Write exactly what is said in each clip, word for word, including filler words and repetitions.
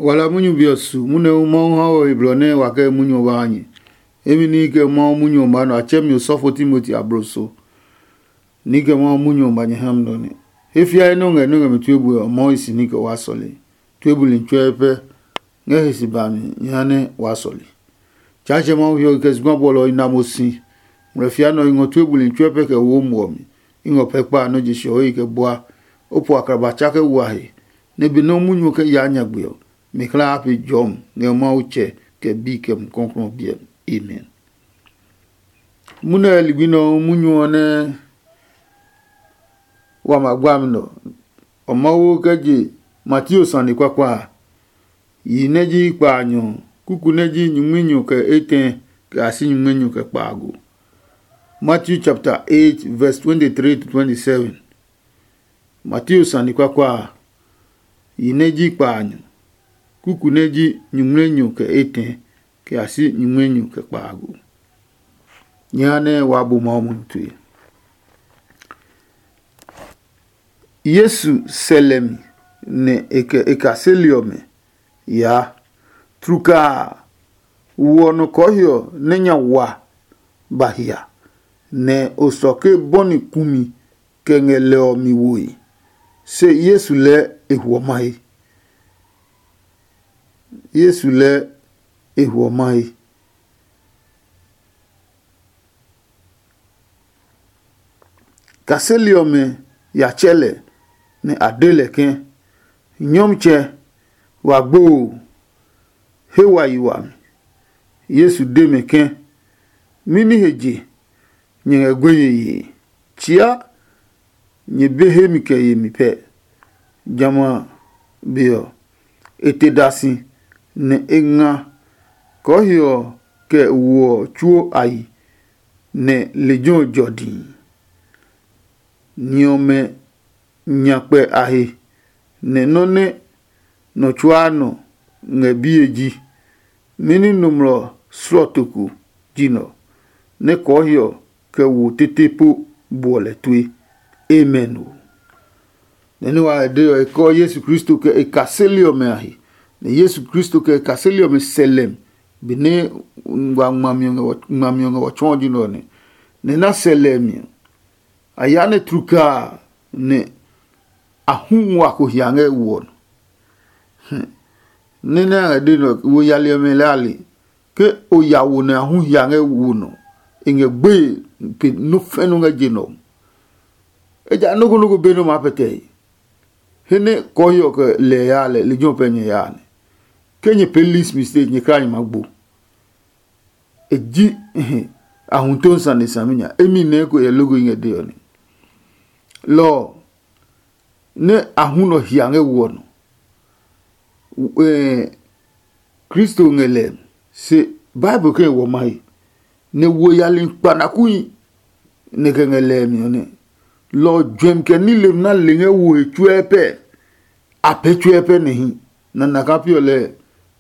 Wala munyu be ɔ su munyu nɛ Mawu ha ɔ he blɔ nɛ wa kɛ munyu ɔ ba ha nyɛ. Emi nihi kɛ Mawu munyu ɔ ba nɔ a tsɛ mi osɔfo Timoti abloso. Nihi kɛ Mawu munyu ɔ ba nyɛ ha mi nɔ nɛ. He fiae nɛ o ngɛ nɛ o ngɛ mi tue bue ɔ, Mawu hi si ní kɛ waa sɔle. Tue buli tsuɛ pɛ ngɛ he si ba mi nyɛ ha nɛ waa sɔle. Tsaatsɛ Mawu hiɔ kɛ zugba bɔlɔ ɔ i na mo si. Ngmlɛ fia nɛ ɔ i ngɔ tue buli tsuɛ pɛ kɛ wo muɔ mi. I ngɔ pɛ kpa nɔ́ je siɔhe kɛ bua. O po akraba tsa kɛ wa he, nɛ be nɛ o munyu ɔ kɛ yaa nyagbe ɔ, mɛ hlaa a pe jɔmi ngɛ Mawu Tsɛ kɛ Bi kɛ Mumi Klɔuklɔu ɔ biɛ mi. Amen. Munɛ ɔ ligbi nɛ ɔ munyu ɔ nɛ wa ma gba mi nɔ ɔ, Mawu kɛ je Mateo sane kpakpa a, yi nɛ ji kpaanyɔ, kuku nɛ ji nyingminyo kɛ etɛ kɛ a si nyingminyo kɛ kpaago. Matthew chapter eight verse twenty-three to twenty-seven. Mateo sane kpakpa a, yi nɛ ji kpaanyɔ, kuku nɛ ji nyingminyo kɛ etɛ kɛ a si nyingminyo kɛ kpaago. Nyɛ ha nɛ wa bu Mawu munyu tue. Yesu sɛ lɛ mi, nɛ e kɛ e kaseli ɔmɛ yaa. Tlukaa a, wo ɔ nɔ kɔɔhiɔ nɛ nya wa ba hia, nɛ osɔke bɔni kumi kɛ ngɛ lɛ ɔ mi woe. Se Yesu lɛɛ e huɔ mahe. Yesu lɛɛ e huɔ mahe. Kaseli ɔmɛ ya tsɛ lɛ, nɛ a de lɛ ke, "Nyɔmtsɛ, wa gbo oo, he wa yi wami." Yesu de mɛ ke, "Mɛni he je nyɛ ngɛ gbeye yee? Tsia nyɛ be hemi kɛ yemi pɛ." Jamɛ a be ɔ, e te da si, nɛ e nga kɔɔhiɔ kɛ wo ɔ tsuo a yi, nɛ lejɛ ɔ jɔ dii. Ni ɔmɛ nya kpɛ a he, nɛ nɔ́ nɛ nɔ tsuaa nɔ ngɛ biye ji, mɛni nɔmlɔ slɔɔto ko ji nɛ ɔ, nɛ kɔɔhiɔ kɛ wo tete po buɔ lɛ tue. Amen o. Nɛ ní wa de ɔ, e kɔɔ Yesu Kristo kɛ e kaseli ɔmɛ a he. Nɛ Yesu Kristo kɛ e kaseli ɔmɛ sɛ lɛ mi, benɛ wa ngmami ɔ ngɛ wɔ tsɔɔ ji nɛ ɔ nɛ. Nɛ na sɛ lɛ mi ɔ, a ya nɛ tlukaa nɛ a hu ngua ko hia ngɛ wo ɔ nɔ. Nɛ nɛ a ngɛ de nɛ ɔ, wo yali ɔmɛ lɛɛ a le. Ke o ya wo nɛ a hu hia ngɛ wo nɔ, e ngɛ gbeye pe nɔ́ fɛnɔ ngɛ je nɔ. Ejakaa nɔ́ ko nɔ́ ko be nɛ o maa pɛtɛ he. He nɛ kɔɔhiɔ kɛ lɛ yaa lɛ, lejɛ ɔ pɛ nyɛ yaa nɛ. Ke nyɛ pee least mistake, nyɛ kla nyɛ maa gbo. E ji a hu to sane saminya. Emi nɛ ko yɛ logo i ngɛ de ɔ nɛ. Lɔ ɔ, nɛ a hu nɔ hia ngɛ wo ɔ nɔ. Kristo ngɛ lɛ se Bible ke wɔ mahe, nɛ wo yali kpanakuhi nɛ kɛ ngɛ lɛ mi ɔ nɛ. Lɔ ɔ juɛmi kɛ nile na le ngɛ wo he tsuɛ pɛ. A pee tsuɛ pɛ nɛ hi, nɛ na kaa pi ɔ lɛɛ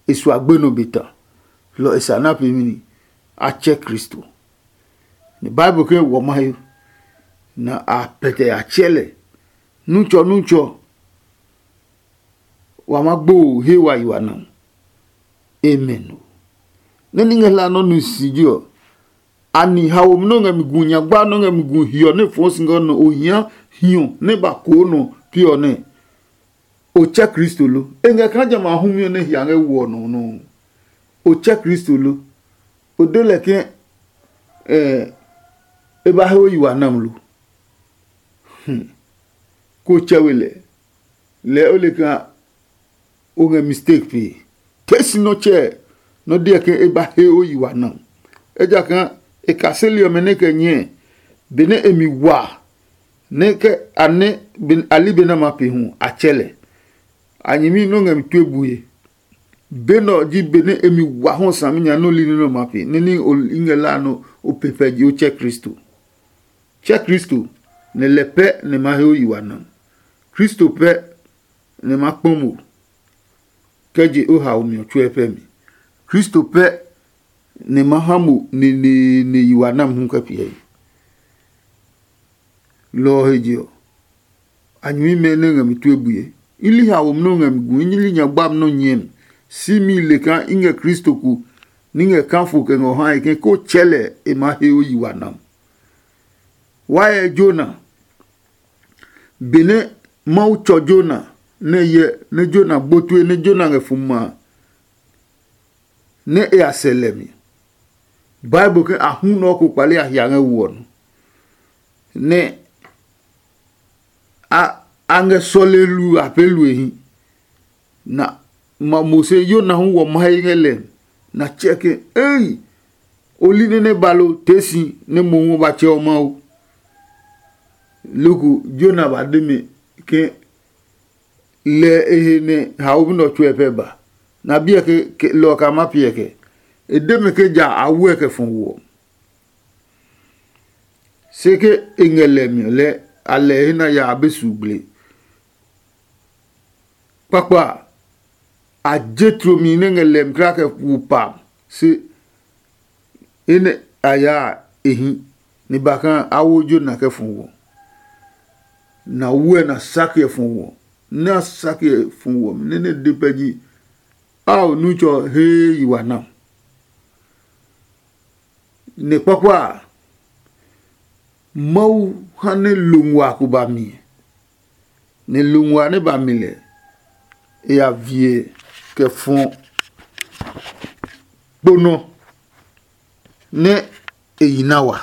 e sua gbenɔ be ta. Lɔ e sa na peemi ni a tsɛ Kristo. Nɛ Bible ke wɔ mahe, nɛ a pɛtɛ a tsɛ lɛ. Nutsɔ nutsɔ, wa ma gbo he wa yi wa na. Amen. Nɛ ni ngɛ hla nɔ nu si ji ɔ, ani haomi nɔ ngɛ mi gu nyagba nɔ ngɛ mi gu hiɔ nɛ fɔɔ si ngɛ nɔ o hia hiɔ nɛ ba koo nɔ pi ɔ nɛ? O tsɛ Kristo lo? E ngɛ kaa jamɛ a humi ɔ nɛ hia ngɛ wo ɔ nɔ nɔ. O tsɛ Kristo lo? O de lɛ ke e ba he o yi wa nam lo? Ko tsɛ we lɛ. Lɛɛ o le kaa o ngɛ mistake pee. Tee si nɔ tsɛɛ nɔ diɛ ke e ba he o yi wa nam. Ejakaa e kaseli ɔmɛ nɛ kɛ nyɛɛ, benɛ e mi wa nɛ kɛ a nɛ a li be nɛ ma pe hu a tsɛ lɛ. A nyɛmi nɔ ngɛ mi tue bue. Be nɛ ɔ ji benɛ e mi wa hɔ saminya nɛ o li nɛ nɛ ma pe nɛ ní o ngɛ la nɔ o pe pɛ ji o tsɛ Kristo. Tsɛ Kristo, nɛ lɛ pɛ nɛ ma he o yi wa nam. Kristo pɛ nɛ ma kpɔ mo kɛ je o haomi ɔ tsuɛ pɛ mi. Kristo pɛ nɛ ma ha mo neneene yi wa nam hu kɛ piɛe. Lɔ ɔ he je ɔ, a nyɛmimɛ nɛ ngɛ mi tue bue. I li haomi nɛ o ngɛ mi gu, i li nyagba mi nɛ o nyɛɛ mi. si mi le kaa i ngɛ Kristo ko nɛ i ngɛ kafo kɛ ngɛ ɔ hae ke ko tsɛ lɛ e maa he o yi wa nam. Wa hyɛ Jona, benɛ Mawu tsɔ Jona nɛ hyɛ nɛ Jona gbo tue nɛ Jona ngɛ fu ma a, nɛ e ya sɛ lɛ mi. Bible ke a hu nɔ ko kpale a hia ngɛ wo ɔ nɔ, nɛ a a ngɛ sɔlelu a pee luehi. Na ma mo se Yona hu wɔ mahe ngɛ lɛ, na tsɛ ke, ei, o li nɛ nɛ balo tee si nɛ mohu ɔ ba tsɛ ɔ Mawu. Loko Jona ba de mɛ ke lɛ e he nɛ haobi nɛ ɔ tsuɛ pɛ ba, na biɛ ke lɛ ɔ ka ma piɛ kɛ. E de mɛ ke ja a wuɛ kɛ fɔ wo ɔ. Se ke e ngɛ lɛ mi ɔ, lɛ a lɛ he na ya a be su gble. Kpakpa a, a je tlomi nɛ ngɛ lɛ mi kla kɛ wu pa se, enɛ a ya a e hi, ni ba kaa a wo Jona kɛ fɔ wo. Na wuɛ na sake ɛ fɔ wo, nɛ a sake ɛ fɔ wo, nɛ nɛ de pɛ ji, ao nu tsɔ hee yi wa na. Nɛ kpakpa a, Mawu ha nɛ lo nguaa ko ba mi, nɛ lo nguaa nɛ ba mi lɛ, e ya vie kɛ fɔ kpo nɔ, nɛ e yi na wa.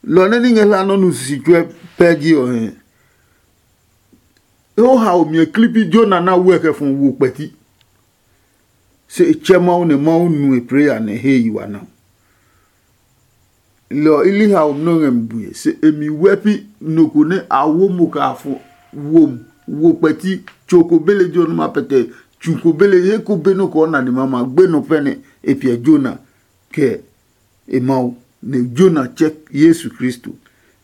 Lɔ nɛ ní ngɛ hla nɔ́ nu sisi tsuɛ pɛ ji ɔ hɛ. E ho haomi ɔ klipi Jona na wuɛ kɛ fɔ wo kpɛti. Se e tsɛ Mawu nɛ Mawu nu e plee ya nɛ e he yi wa na. Lɔ ɔ, i li haomi nɛ o ngɛ mi bue, se e mi wɛ pi nɔ ko nɛ a wo mo kɛ a fɔ wom wo kpɛti tso ko bele jo nɛ ma pɛtɛ tsu ko bele he ko be nɔ ko ɔ na ni ma ma gbe nɔ pɛ nɛ e piɛ Jona kɛ e Mawu, nɛ Jona tsɛ Yesu Kristo,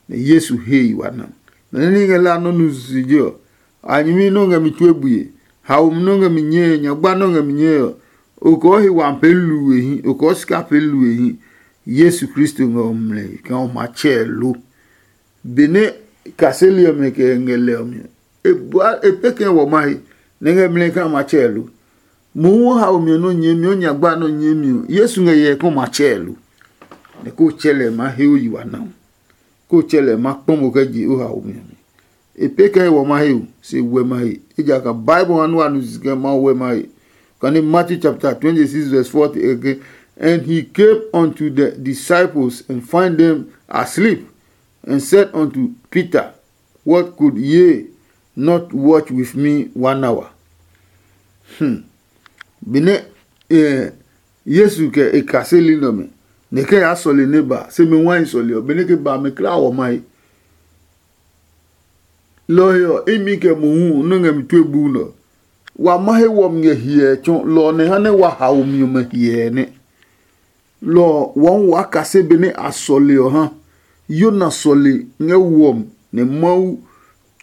nɛ Yesu he yi wa na. Nɛ ní ngɛ la nɔ́ nu sisi je ɔ, a nyɛmi nɔ́ ngɛ mi tue bue, haomi nɔ́ ngɛ mi nyɛe, nyagba nɔ́ ngɛ mi nyɛe ɔ, o kɔɔ he wa pee luwehi, o kɔɔ sika pee luwehi. Yesu Kristo ngɛ o mlɛ kɛ o ma tsɛ lo. Benɛ kaseli ɔmɛ kɛ ngɛ lɛ ɔmɛ ɔ, e bua e pɛ kɛ wɔ ma he, nɛ ngɛ mlɛ kaa ma tsɛ lo. Mohu o haomi ɔ nɔ nyɛmi o nyagba nɔ nyɛmi ɔ, Yesu ngɛ yɛ kɔ ma tsɛ lo. Nɛ ko tsɛ lɛ ma he o yi wa na. Ko tsɛ lɛ ma kpɔ mo kɛ je o haomi ɔ mi. E pɛ kɛ wɔ ma he o, se wɛ ma he. Ejakaa Bible ha nua nu si kɛ ma wɛ ma he. Kane Matthew chapter twenty-six verse forty again. And he came unto the disciples and find them asleep, and said unto Peter, what could ye not watch with me one hour? Hmm. Benɛ eh, Yesu kɛ e kaseli nɛ ɔmɛ, nɛ e kɛ yaa sɔle nɛ ba, se mɛ wai sɔle ɔ, benɛ ke ba mɛ kla wɔ mahe. Lɔ ɔ he ɔ, imi kɛ mohu nɛ ngɛ mi tue buu nɛ ɔ, wa mahe wɔmi ngɛ hiɛ tsɔ lɔ ɔ nɛ ha nɛ wa haomi ɔmɛ hiɛ nɛ. Lɔ ɔ, wɔɔ waa kase benɛ a sɔle ɔ ha. Yona sɔle ngɛ wuɔ mi, nɛ Mawu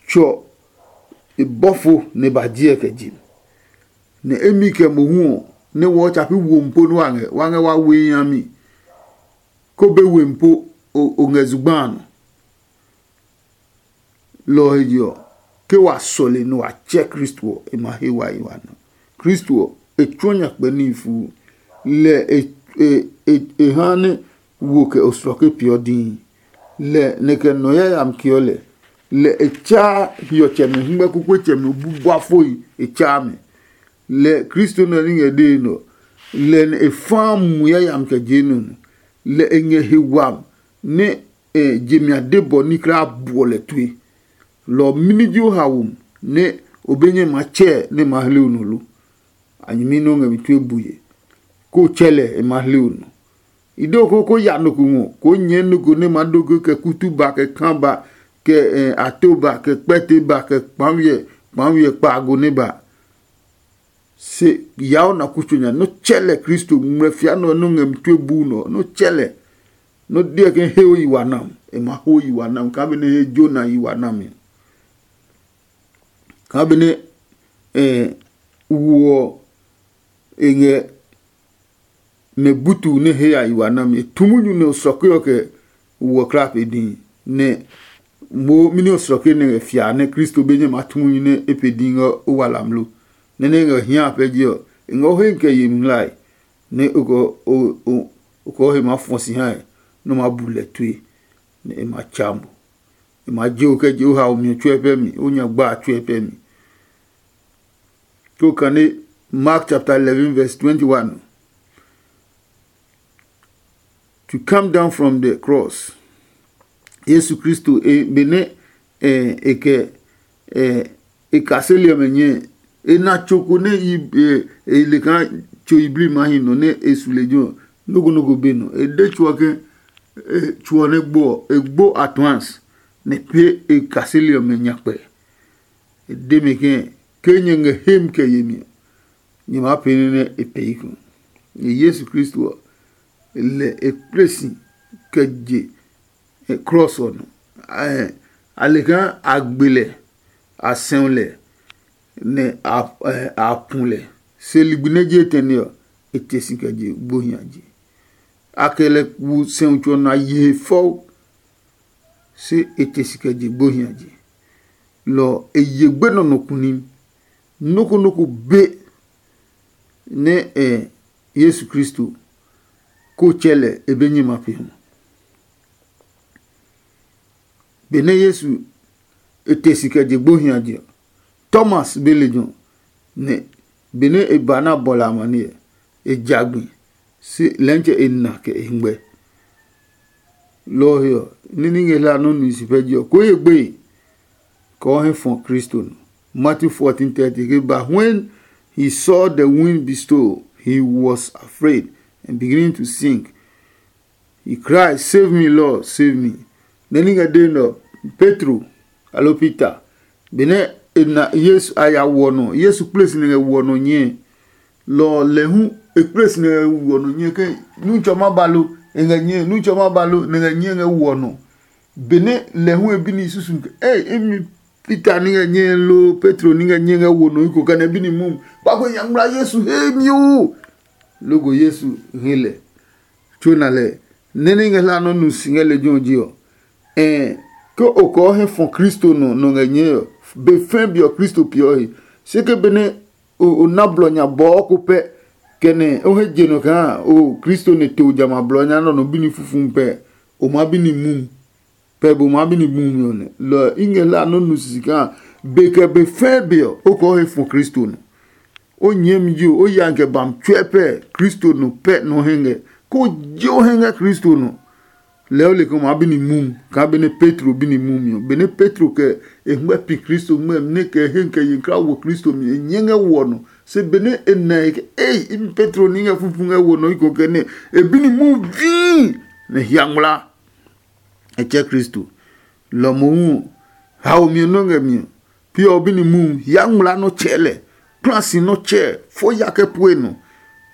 tsɔ e bɔfo nɛ ba jiɛ kɛ je. Nɛ emi kɛ mohu ɔ, nɛ wɔɔ tsa pi womi po nɛ wa ngɛ wa ngɛ wa wee yami, ko be wemi po o ngɛ zugba a nɔ. Lɔ ɔ he je ɔ, ke wa sɔle nɛ wa tsɛ Kristo ɔ, e ma he wa yi wa nɔ. Kristo ɔ, e tsuɔ nyakpɛ níhi fuu. Lɛ e ha nɛ wo kɛ osɔke peeɔ dihi. Lɛ nɛ kɛ nɔ yayami keɔ lɛ. Lɛ e tsaa hiɔtsɛmɛ hɛngmɛ kukuetsɛmɛ bu bua foyi e tsaa mɛ. Lɛ Kristo nɛ ní ngɛ dee nɛ ɔ, lɛ nɛ e faa mu yayami kɛ je nɔ nɔ. Lɛ e ngɛ he wami nɛ e je mi ade bɔ ní kulaa buɔ lɛ tue. Lɔ ɔ mini ji o haomi nɛ o be nyɛ ma tsɛ nɛ ma hle o nɔ lo? A nyɛmi nɛ o ngɛ mi tue bue, kó o tsɛ lɛ e ma hle o nɔ. I de o koko ya nɔ ko ngɔ, koo nyɛɛ nɔ ko nɛ ma do ke kɛ kutu ba, kɛ kan ba, kɛ ato ba, kɛ kpɛte ba, kɛ kpawiɛ kpawiɛ kpaago nɛ ba. Se yao na kutso nya nɔ tsɛ lɛ Kristo ngmlɛ fia nɔ nɔ ngɛ mi tue bu nɔ nɔ tsɛ lɛ. Nɔ diɛ ke he o yi wa nam, e ma ho yi wa nam kaa be nɛ he Jona yi wa nam mi. Kaa be nɛ eh, wo ɔ e ngɛ mɛ butu nɛ he ya yi wa nam mi. Tumunyu nɛ o sɔke ɔ kɛ wo ɔ kla pe din nɛ mo mini o sɔke nɛ ngɛ fia nɛ Kristo be nyɛ ma tumunyu nɛ e pe din ngɛ o wa lamlo. Nɛ nɛ ngɛ hiaa pɛ je ɔ, e ngɛ o he kɛ yemi hlae, nɛ o kɛ o o o kɛ o he maa fɔ si hae, nɛ o maa bu lɛ tue, nɛ e ma tsa mo. E ma je o kɛ je o haomi ɔ tsuɛ pɛ mi, o nya gba a tsuɛ pɛ mi. Ko kane Mark chapter eleven verse twenty-one. To come down from the cross. Yesu Kristo e benɛ e kɛ e kaseli ɔmɛ nyɛ, e na tso ko nɛ e le kaa tso yiblii ma hi nɔ nɛ e su lejɛ ɔ, noko noko be nɔ e de tso ɔ ke tso ɔ nɛ gbo ɔ, e gbo at once, nɛ pe e kaseli ɔmɛ nyakpɛ. E de mɛ ke ke nyɛ ngɛ hem kɛ yemi ɔ, nyɛ maa pee nɛ nɛ e pee iko. Nɛ Yesu Kristo ɔ, lɛ e kple si kɛ je krɔs ɔ nɔ. A le kaa a gbe lɛ, a sɛu lɛ, nɛ a pu lɛ. Se ligbi nɛ je etɛne ɔ, e te si kɛ je gbohi a je. A kɛ lɛ wu sɛu tso ɔ nɔ a ye he fɔu, se e te si kɛ je gbohi a je. Lɔ ɔ, e ye gbenɔ nɔ kunim. Noko noko be nɛ ɛ Yesu Kristo ko tsɛ lɛ e be nyɛ ma pe hu. Benɛ Yesu e te si kɛ je gbohi a je ɔ, Thomas be lejɛ ɔ, nɛ benɛ e ba na bɔ lɛ amane ɛ, e ja gbi, se lɛntsɛ e na kɛ e ngmɛ. Lɔ ɔ he ɔ, ní ní ngɛ hlaa nɔ́ nui si pɛ je ɔ, koo ye gbeye kɛ o hɛ fɔ Kristo nɔ. Matthew fourteen thirty ke, but when he saw the wind be still, he was afraid and beginning to sink. He cried, save me, Lord, save me. Nɛ ní ngɛ dee nɛ ɔ, Petro, aloo Peter, benɛ e na Yesu a ya wɔ nɔ, Yesu kple si nɛ ngɛ wɔ nɔ nyɛe. Lɔ ɔ lɛ hu e kple si nɛ ngɛ wɔ nɔ nyɛe ke, nuntsɔ ma ba lo, e ngɛ nyɛe, nuntsɔ ma ba lo, nɛ ngɛ nyɛe ngɛ wɔ nɔ. Benɛ lɛ hu e bi ni susu ke, ei, imi Peter ni ngɛ nyɛe lo, Petro ni ngɛ nyɛe ngɛ wo nɔ iko kɛ nɛ bi ni mumi, ba ko nya ngmla Yesu he miu. Loko Yesu hi lɛ. Tso na lɛ nɛ ní ngɛ hla nɔ́ nu si ngɛ lejɛ ɔ je ɔ, ɛɛ ke o kɔɔ hɛ fɔ Kristo nɔ nɔ ngɛ nyɛɛ ɔ, be fɛ̃ be ɔ Kristo peeɔ he. Se ke benɛ o na blɔ nya bɔɔ ko pɛ, kɛ nɛ o he je nɔ kaa o Kristo nɛ to jamɛ a blɔ nya nɔ nɔ bini fufumi pɛ, o maa bini mumi. Pɛ bo maa bini bumi ɔ nɛ. Lɔ ɔ, i ngɛ hla nɔ́ nu sisi kaa be kɛ be fɛɛ be ɔ, o kɔɔ he fɔ Kristo nɔ. O nyɛɛmi ji o, o ya kɛ bami tsuɛ pɛ Kristo nɔ pɛ nɔ hɛ ngɛ. Ko je o hɛ ngɛ Kristo nɔ. Lɛɛ o le kaa o maa bini mumi kaa benɛ Petro bini mumi ɔ. Benɛ Petro kɛ e ngmɛ pi Kristo ngmɛ mi nɛ kɛ he kɛ ye kra wo Kristo mi, e nyɛ ngɛ wo ɔ nɔ. Se benɛ e na e ke, ei, imi Petro ni ngɛ fufu ngɛ wo nɔ iko kɛ nɛ e bini mumi vii nɛ hia ngmlaa. E tsɛ Kristo. Lɔ mohu ɔ, haomi ɔ nɔ́ ngɛ mi ɔ, pi ɔ bini mumi ya ngmlaa nɔ́ tsɛɛ lɛ, kpla si nɔ́ tsɛɛ, fo ya kɛ pue nɔ,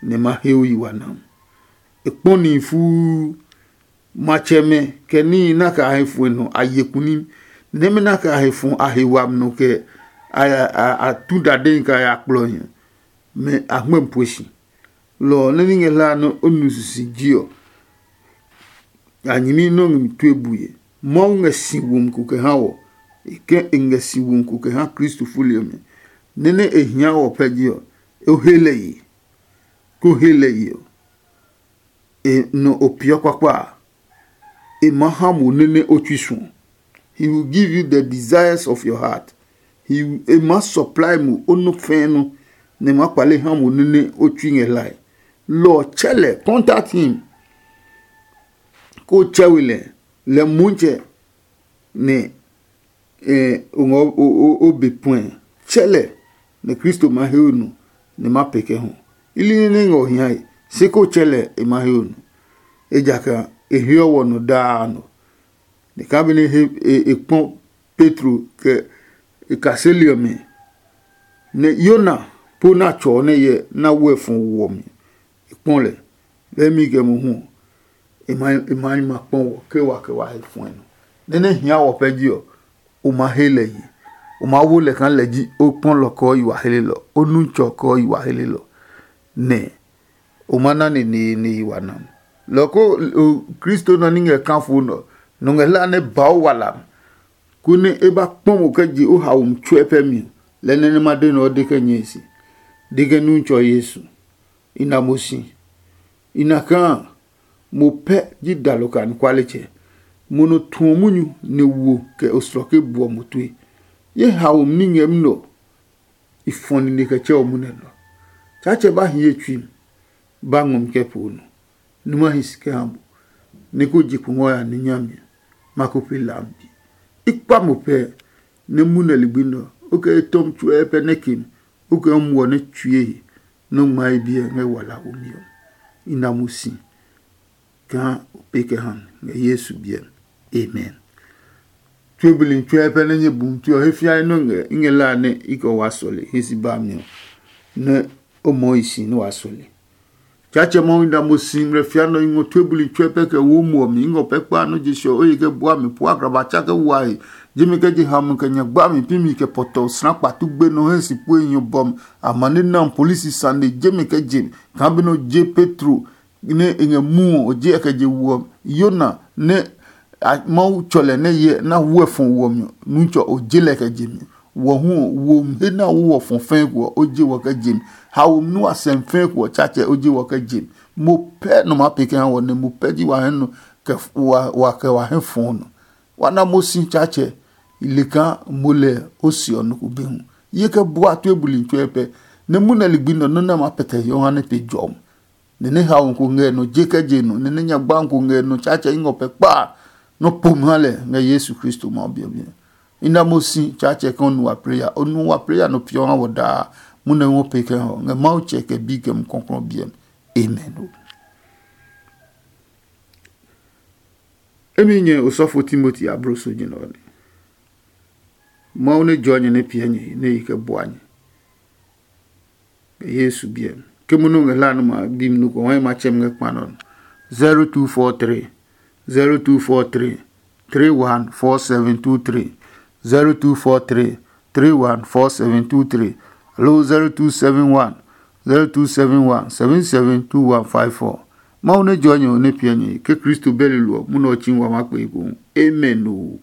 nɛ ma he o yi wa nam. E kpɔ nihi fuu, matsɛmɛ kɛ níhi nɛ a kɛ a he fue nɔ a ye kunim, nɛmɛ nɛ a kɛ a he fɔ a he wami nɔ kɛ a tu dadehi kɛ a ya kplɔ nya, mɛ a hmɛ pue si. Lɔ ɔ nɛ ní ngɛ hlaa nɛ o nu sisi ji ɔ, a nyɛmi nɔ́ ngɛ mi tue bue. Mawu ngɛ si womi ko kɛ ha wɔ, e kɛ e ngɛ si womi ko kɛ ha Kristo fuli ɔmɛ, nɛ nɛ e hia wɔ pɛ ji ɔ, o he lɛ ye. Ko he lɛ ye ɔ, e nɔ o peeɔ kpakpa a, e maa ha mo nɛ nɛ o tsui suɔ. He will give you the desires of your heart. He will- e maa supply mo o nɔ fɛɛ nɔ, nɛ e maa kpale ha mo nɛ nɛ o tsui ngɛ hlae. Lɔ ɔ tsɛ lɛ, contact him, ko tsɛ we lɛ, lɛ motsɛ nɛ o ngɔ o be puɛ. Tsɛ lɛ nɛ Kristo ma he o nu nɛ ma pee kɛ hu. I li nɛ ngɛ o hiae, se ko tsɛ lɛ e ma he o nu. Ejakaa e heɔ wɔ nɔ daa nɔ. Nɛ kaa benɛ e kpɔ Petro kɛ e kaseli ɔmɛ, nɛ Yona po na tsɔ ɔ nɛ hyɛ na wɛ fɔ wo ɔ mi, e kpɔ lɛ. Lɛɛ mi kɛ mohu ɔ, e ma e ma ma kpɔ wɔ ke wa kɛ wa he fuɛ nɔ. Nɛ nɛ hia wɔ pɛ ji ɔ, o ma he lɛ yi. O ma wo lɛ kaa lɛ ji o kpɔlɔ kɔɔ yi wa helelɔ, o nutsɔ kɔɔ yi wa helelɔ. Nɛ o ma na neneene yi wa nam. Lɔ ko Kristo nɔ ní ngɛ kafo nɔ, nɔ ngɛ hla nɛ ba o wa lam, konɛ e ba kpɔ mo kɛ je o haomi tsuɛ pɛ mi. Lɛ nɛ nɛ ma de nɛ o de kɛ nyɛe se. De kɛ nu tsɔ Yesu, i na mo si. I na kaa mo pɛ ji dalo kɛ anɔkualetsɛ. Mo nɔ tuɔ munyu nɛ wo kɛ oslɔke buɔ mo tue. Ye haomi ní ngɛ munɔ i fɔ nine kɛ tsɛ ɔ munɛ nɔ. Tsaatsɛ ba hi ye tsui mi, ba ngɔ mi kɛ po nɔ. Numa hi si kɛ ha mo, nɛ ko je kungɔ ya ní nyami, ma ko pe lambi. I kpa mo pɛ nɛ mu nɛ ligbi nɔ, o kɛ e tɔm tsuɛ pɛ nɛ ke mi, o kɛ muɔ nɛ tsue he nɔ ngma e biɛ ngɛ wala womi ɔ. I na mo si kaa o pe kɛ ha mi ngɛ Yesu biɛ mi. Amen. Tue buli tsuɛ pɛ nɛ nyɛ bu tue ɔ he fia nɔ ngɛ i ngɛ la nɛ i kɛ wa sɔle he si ba mi ɔ, nɛ o mɔ i si nɛ wa sɔle. Tsaatsɛ Mawu nɛ da mo si ngmlɛ fia nɔ i ngɔ tue buli tsuɛ pɛ kɛ wo muɔ mi i ngɔ pɛ kpa nɔ je sɔ o ye kɛ bua mi po akraba tsa kɛ wa he. Jemi kɛ je ha mu kɛ nya gba mi pi mi kɛ pɔtɔ sna kpatu gbe nɔ he si pue nyɔ bɔm. Amane nam polisi sane jemi kɛ je kaa be nɔ je Petro nɛ e ngɛ muɔ ɔ je kɛ je woɔ Yona nɛ Mawu tsɔ lɛ nɛ hyɛ na huɛ fɔ woɔ mi ɔ, nu tsɔ o je lɛ kɛ je mi. Wɔ hu ɔ, wo he na wo wɔ fɔ fɛɛ ko ɔ, o je wɔ kɛ je mi. Haomi nua sɛmi fɛɛ ko ɔ, Tsaatsɛ o je wɔ kɛ je mi. Mo pɛ nɔ maa pee kɛ ha wɔ nɛ mo pɛ ji wa hɛ nɔ kɛ wa kɛ wa hɛ fɔɔ nɔ. Wa na mo si, Tsaatsɛ, i le kaa mo lɛ o se ɔ nɔ ko be hu. Ye kɛ bua tue buli tsuɛ pɛ nɛ munɛ ligbi nɔ nɔ́ nɛ ma pɛtɛ Yohane pe jɔmi. Nɛ nɛ haomi ko ngɛ nɔ je kɛ je nɔ, nɛ nɛ nyagba ko ngɛ nɔ Tsaatsɛ i ngɔ pɛ kpa nɔ pom ha lɛ ngɛ Yesu Kristo ma biɔbiɛ. I na mo si Tsaatsɛ kɛ o nu wa preya, o nu wa preya nɔ piɔ ha wɔ daa. Munɛ ngɔ pe kɛ hɔ ngɛ Mawu tsɛ kɛ bi kɛ mu kɔklɔ biɛ mi. Amen. Emi nyɛ osɔfo Timoti abroso nyɛ nɔ ne. Mawu ne jɔ nyɛ ne piɛ nyɛ he ne yi kɛ bua nyɛ. Kɛ Yesu biɛ mi. Ke mo nɔ ngɛ hla numa bi mi nukɔ wai ma tsɛ mi ngɛ kpa nɔ. zero two four three zero two four three three one four seven two three. zero two four three three one four seven two three. Aloo zero two seven one zero two seven one seven seven two one five four. Mawu ne jɔ nyɛ o ne piɛ nyɛ ke Kristo bɛli luɔ munɔ ɔ tsi wa ma kpe eko. Amen o.